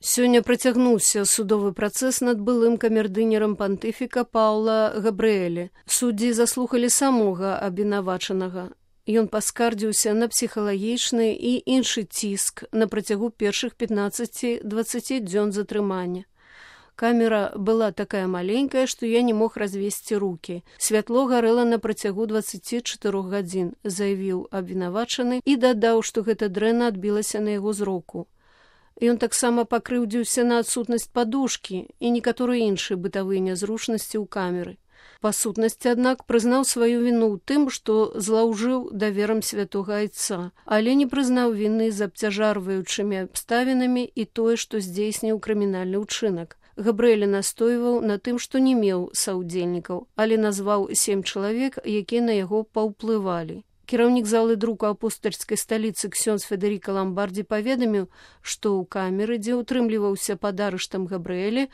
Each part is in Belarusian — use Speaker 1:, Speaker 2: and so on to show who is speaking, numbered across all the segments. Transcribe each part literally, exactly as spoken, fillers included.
Speaker 1: Сёння працягнуўся судовы працэс над былым камердынерам пантыфіка Паўла Габрыэлі. Суддзі заслухалі самога абвінавачанага. Ён паскардзіўся на псіхалагічны і іншы ціск на працягу першых пятнаццаці-дваццаці дзён затрымання. Камера была такая маленькая, што я не мог развесці рукі. Святло гарэла на працягу дваццаці чатырох гадзін, заявіў абвінавачаны і дадаў, што гэта дрэнна адбілася на яго зроку. Ён таксама пакрыўдзіўся на адсутнасць падушкі і некаторыя іншыя бытавыя нязручнасці ў камеры. Па сутнасці, аднак, прызнаў сваю віну ў тым, што злаўжыў даверам святога айца, але не прызнаў віны з абцяжарваючымі абставінамі і тое, што здзейсніў крымінальны ўчынак. Габрыэлі настойваў на тым, што не меў саўдзельнікаў, але назваў сем чалавек, якія на яго паўплывалі. Кіраўнік залы друку апостальскай сталіцы ксёндз Федэріка Ламбардзі паведаміў, што ў камеры, дзе ўтрымліваўся пад арыштам Габрыэлі,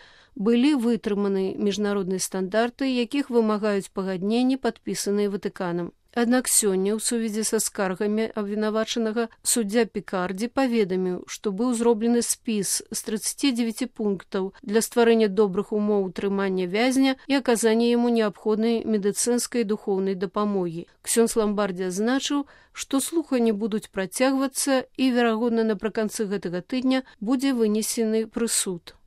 Speaker 1: былі вытрыманы міжнародныя стандарты, якіх вымагаюць пагадненні, падпісаныя Ватыканам. Аднак сёння, у сувязі са скаргамі абвінавачанага, суддзя Пікардзі паведаміў, што быў зроблены спіс з трыццаці дзевяці пунктаў для стварэння добрых умоў утрымання вязня і аказання яму неабходнай медыцынскай і духоўнай дапамогі. Ксёндз Ламбардзі адзначыў, што слуханні будуць працягвацца і, верагодна, напрыканцы гэтага тыдня будзе вынесены прысуд.